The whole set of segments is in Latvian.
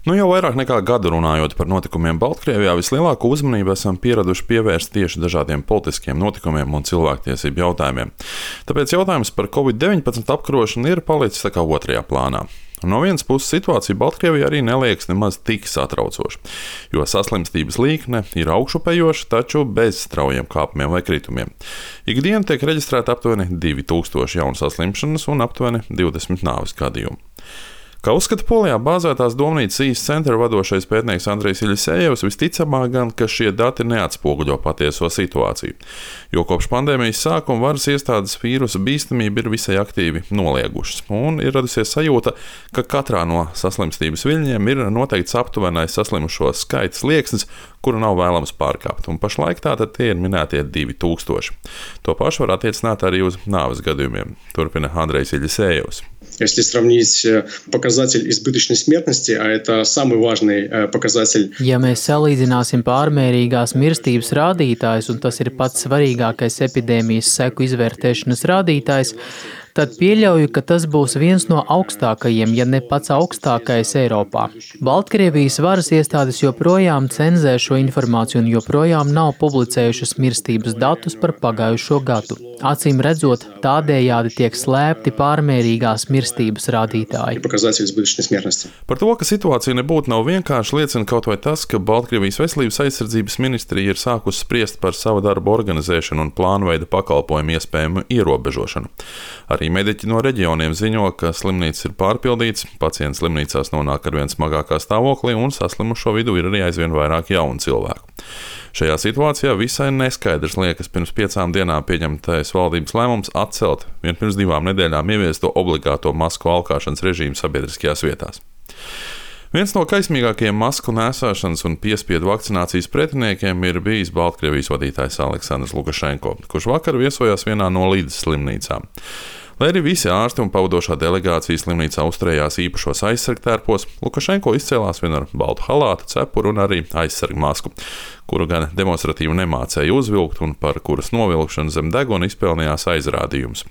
Jau vairāk nekā gadu runājot par notikumiem Baltkrievijā, vislielāko uzmanību esam pieraduši pievērst tieši dažādiem politiskiem notikumiem un cilvēktiesību jautājumiem. Tāpēc jautājums par Covid-19 apkarošanu ir palicis tā kā otrajā plānā. No vienas puses situācija Baltkrievijā arī neliekas nemaz tik satraucoša, jo saslimstības līkne ir augšupejoša, taču bez straujiem kāpumiem vai kritumiem. Ikdienu tiek reģistrēta aptuveni 2000 jaunu saslimšanas un aptuveni 20 nāves gadījumu. Kā uzskata Polijā bāzētās Domnīcas East Center vadošais pētnieks Andrejs Iļisejevs, visticamāk gan, ka šie dati neatspoguļo patieso situāciju, jo kopš pandēmijas sākuma varas iestādes vīrusa bīstamību ir visai aktīvi noliegušas, un ir radusies sajūta, ka katrā no saslimstības viļņiem ir noteikts aptuvenais saslimušo skaits slieksnis, kuru nav vēlams pārkāpt, un pašlaik tātad tie ir minētie 2000. To pašu var attiecināt arī uz nāves gadījumiem, turpina Andrejs Iļisejevs. Если сравнить показатель избыточной смертности, а это самый важный показатель. Ja mēs salīdzināsim pārmērīgās mirstības rādītājus, un tas ir pats svarīgākais epidēmijas seku izvērtēšanas rādītājs, tad pieļauju, ka tas būs viens no augstākajiem, ja ne pats augstākais Eiropā. Baltkrievijas varas iestādes joprojām cenzē šo informāciju un joprojām nav publicējušas mirstības datus par pagājušo gadu. Acīm redzot, tādējādi tiek slēpti pārmērīgās mirstības rādītāji. Par to, ka situācija nebūtu nav vienkārši, liecina kaut vai tas, ka Baltkrievijas veselības aizsardzības ministrija ir sākusi spriest par savu darbu organizēšanu un plānveida pakalpojumu iespējamu ierobežošanu. Arī mediķi no reģioniem ziņo, ka slimnīcas ir pārpildītas, pacienti slimnīcās nonāk arvien smagākā stāvoklī un saslimušo vidū ir arī aizvien vairāk jaunu cilvēku. Šajā situācijā visai neskaidrs liekas pirms 5 dienām pieņemtais valdības lēmums atcelt pirms 2 nedēļām ieviesto obligāto masku valkāšanas režīmu sabiedriskajās vietās. Viens no kaismīgākajiem masku nēsāšanas un piespiedu vakcinācijas pretiniekiem ir bijis Baltkrievijas vadītājs Aleksandrs Lukašenko, kurš vakar viesojās vienā no Līdzes slimnīcām. Lai arī visi ārsti un pavadošā delegācija slimnīcā uzturējās īpašos aizsargtērpos, Lukašenko izcēlās vien ar baltu halātu, cepuru un arī aizsargmasku, kuru gan demonstratīvi nemācēja uzvilkt un par kuras novilkšanu zem deguna izpelnījās aizrādījums.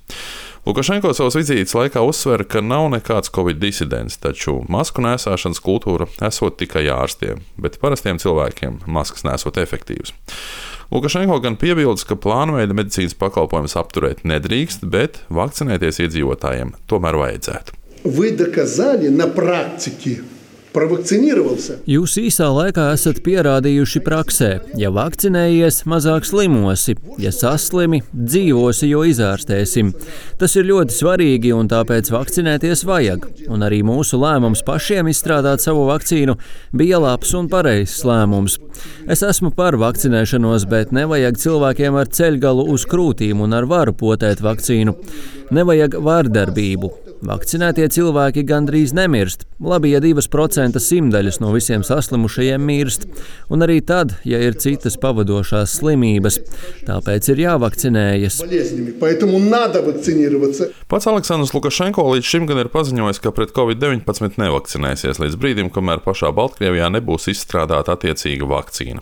Lukašenko savas vizītes laikā uzsver, ka nav nekāds Covid disidents, taču masku nēsāšanas kultūra esot tikai ārstiem, bet parastiem cilvēkiem maskas nesot efektīvas. Lukašenko gan piebildes, ka plānveida medicīnas pakalpojumus apturēt nedrīkst, bet vakcinēties iedzīvotājiem tomēr vajadzētu. Вы доказали на практике. Jūs īsā laikā esat pierādījuši praksē, ja vakcinējies, mazāk slimosi, ja saslimi, dzīvosi, jo izārstēsim. Tas ir ļoti svarīgi un tāpēc vakcinēties vajag. Un arī mūsu lēmums pašiem izstrādāt savu vakcīnu bija labs un pareizs lēmums. Es esmu par vakcinēšanos, bet nevajag cilvēkiem ar ceļgalu uz krūtīm un ar varu potēt vakcīnu. Nevajag vārdarbību. Vakcinētie cilvēki gandrīz nemirst. Labi, ja 2% simtaļas no visiem saslimušajiem mirst. Un arī tad, ja ir citas pavadošās slimības. Tāpēc ir jāvakcinējas. Pats Aleksandrs Lukašenko līdz šim gan ir paziņojis, ka pret Covid-19 nevakcinēsies līdz brīdim, kamēr pašā Baltkrievijā nebūs izstrādāta attiecīga vakcīna.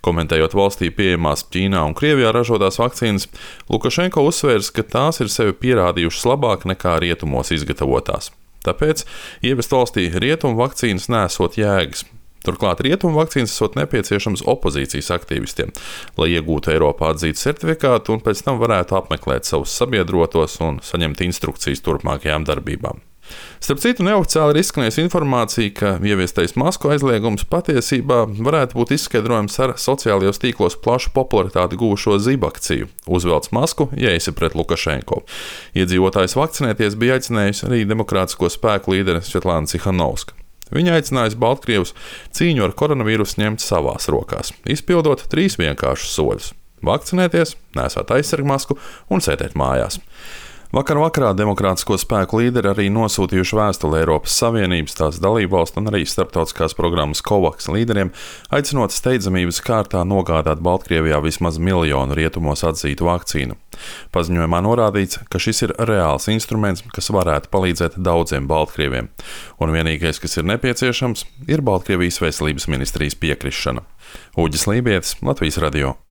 Komentējot valstī pieejamās Ķīnā un Krievijā ražotās vakcīnas, Lukašenko uzsvērs, ka tās ir sevi pierādījušas labāk nekā rietumos izgatavotās. Tāpēc ievest valstī rietumu vakcīnas nesot jēgas. Turklāt rietumu vakcīnas esot nepieciešams opozīcijas aktīvistiem, lai iegūtu Eiropā atzītu certifikātu un pēc tam varētu apmeklēt savus sabiedrotos un saņemt instrukcijas turpmākajām darbībām. Starp citu, neoficiāli ir izskanējusi informācija, ka ieviestais masku aizliegums patiesībā varētu būt izskaidrojams ar sociālajos tīklos plašu popularitāti guvušo zibakciju Uzvelc masku, ja esi pret Lukašenko. Iedzīvotājs vakcinēties bija aicinējusi arī demokrātisko spēku līderi Svetlana Cihanovska. Viņa aicinājusi Baltkrievus cīņu ar koronavīrusu ņemt savās rokās, izpildot 3 vienkāršus soļus – vakcinēties, nēsāt aizsargmasku un sēdēt mājās. Vakar vakarā demokrātisko spēku līderi arī nosūtījuši vēstuli Eiropas Savienības, tās dalībvalstu un arī starptautiskās programmas COVAX līderiem, aicinot steidzamības kārtā nogādāt Baltkrievijā vismaz 1 miljonu rietumos atzītu vakcīnu. Paziņojumā norādīts, ka šis ir reāls instruments, kas varētu palīdzēt daudziem baltkrieviem, un vienīgais, kas ir nepieciešams, ir Baltkrievijas veselības ministrijas piekrišana. Uģis Lībietis, Latvijas radio.